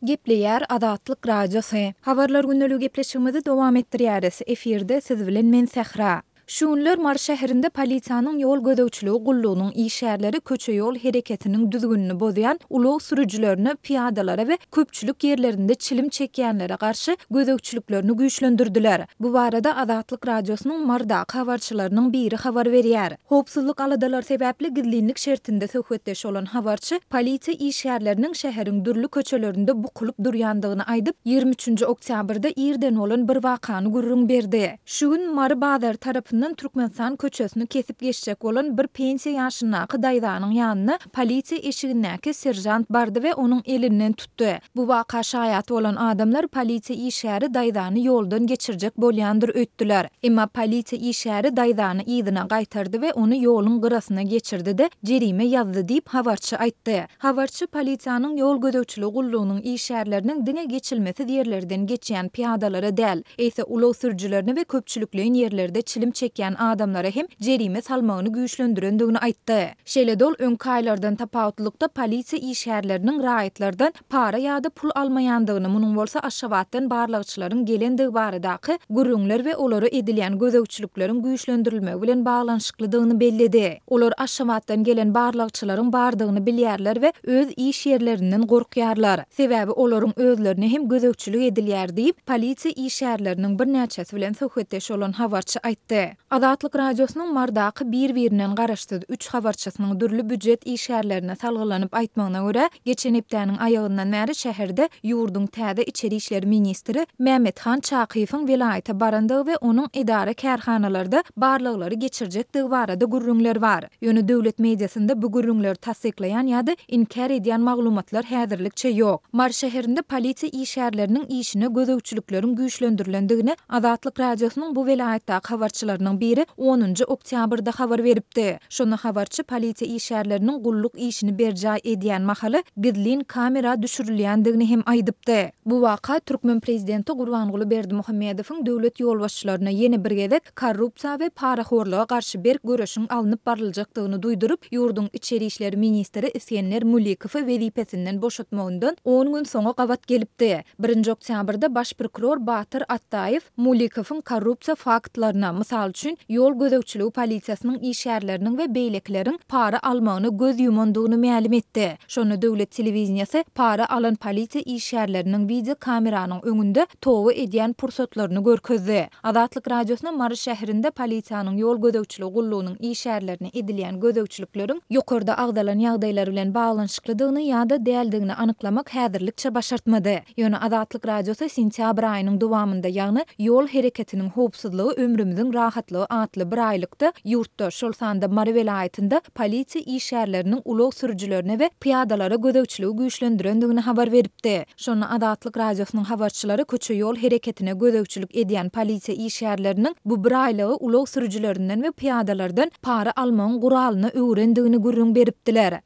Gepleýär Azatlyk Radiosy. Habarlar gündeligi gepleşigimizi dowam etdirýäris. Efirde siz bilen men Sähra. Şu günler Mary şäherinde polisiýanyň ýol gözegçiligi gullugynyň işgärleri köçe-ýol hereketiniň düzgünini bozýan ulag sürüjilerine, pyýadalara we köpçülik ýerlerinde çilim çekýänlere garşy gözegçiliklerini güýçlendirdiler. Bu barada Azatlyk Radiosynyň Marydaky habarçylarynyň biri habar berýär. Howpsuzlyk aladalary sebäpli gizlinlik şertinde söhbetdeş bolan habarçy polisiýa işgärleriniň şäheriň dürli köçelerinde bukulyp durýandygyny aýdyp, 23-nji oktýabrda irden bolan bir wakany gürrüň berdi. Şu gün Mary bazary tarapyndan Türkmenistan köçesini kesip geçjek bolan bir pensiýa ýaşyndaky daýzanyň ýanyna polisiýa eşigindäki seržant bardy we onuň elinden tutdy. Bu waka şaýat bolan adamlar polisiýa işgäri daýzany ýoldan geçirjek bolýandyr öýtdüler. Emma polisiýa işgäri daýzany yzyna gaýtardy we ony ýoluň gyrasyna geçirdi-de, jerime ýazdy diýip, habarçy aýtdy. Habarçy polisiýanyň ýol gözegçiligi gullugynyň işgärleriniň diňe geçilmesiz ýerlerden geçýän pyýadalara däl, eýse ulag sürüjilerine we köpçülikleýin ýerlerde çilim çekýän adamlara hem jerime salmagyny güýçlendirendigini aýtdy. Şeýle-de ol öňki aýlardan tapawutlylykda polisiýa işgärleriniň raýatlardan para ýa-da pul almaýandygyny, munuň bolsa Aşgabatdan barlagçylaryň gelendigi baradaky gürrüňler we olara edilýän gözegçilikleriň güýçlendirilmegi bilen baglanyşyklydygyny belledi. Olar Aşgabatdan gelen barlagçylaryň bardygyny bilýärler we öz iş ýerlerinden gorkýarlar. Sebäbi olaryň özlerine hem gözegçilik edilýär diýip, polisiýa işgärleriniň birnäçesi bilen söhbetdeş bolan habarçy aýtdy. Azatlyk Radiosynyň Marydaky bir-birinden garaşsyz üç habarçysynyň dürli býujet işgärlerine salgylanyp aýtmagyna görä, geçen hepdäniň aýagyndan bäri şäherde ýurduň täze içeri işler ministri Mämmethan Çakyýewiň welaýata barandygy we onuň edara-kärhanalarda barlaglary geçirjekdigi barada gürrüňler bar. Ýöne döwlet mediasynda bu gürrüňleri tassyklaýan ýa-da inkär edýän maglumatlar häzirlikçe ýok. Mary şäherinde polisiýa işgärleriniň işine gözegçilikleriň güýçlendirilendigini Azatlyk Radiosynyň bu welaýatdaky habarçylarynyň biri onunjy oktýabrda habar beripdi. Şonda habarçy polisiýa işgärleriniň gulluk işini berjaý edýän mahaly gizlin kamera düşürilýändigini hem aýdypdy. Bu waka türkmen prezidenti Gurbanguly Berdimuhamedowyň döwlet ýolbaşçylaryna ýene bir gezek korrupsiýa we parahorluga garşy berk göreşiň alnyp baryljakdygyny duýduryp, ýurduň içeri işler ministri Isgender Mulikowy wezipesinden boşatmagyndan on gün soňa gabat gelipdi. Birinji oktýabrda baş prokuror Batyr Atdaýew Mulikowyň korrupsiýa faktlaryna, mysal üçin, ýol gözegçiligi polisiýasynyň işgärleriniň we beýlekileriň para almagyna göz ýumandygyny mälim etdi. Şonda döwlet telewideniýesi para alan polisiýa işgärleriniň wideokameranyň öňünde toba edýän pursatlaryny görkezdi. Azatlyk Radiosyna Mary şäherinde polisiýanyň ýol gözegçiligi gullugynyň işgärlerine edilýän gözegçilikleriň ýokarda agzalan ýagdaýlar bilen baglanyşyklydygyny ýa-da däldigini anyklamak häzirlikçe başartmady. Ýöne Azatlyk Radiosy sentýabr aýynyň dowamynda, ýagny Ýol hereketiniň howpsuzlygy ömrümiziň rahatlygy atly bir aýlykda ýurtda, şol sanda Mary welaýatynda polisiýa işgärleriniň ulag sürüjilerine we pyýadalara gözegçiligi güýçlendirendigini habar beripdi. Şonda Azatlyk Radiosynyň habarçylary köçe-ýol hereketine gözegçilik edýän polisiýa işgärleriniň bu bir aýlygy ulag sürüjilerinden we pyýadalardan para almagyň guralyna öwrendigini gürrüň beripdiler.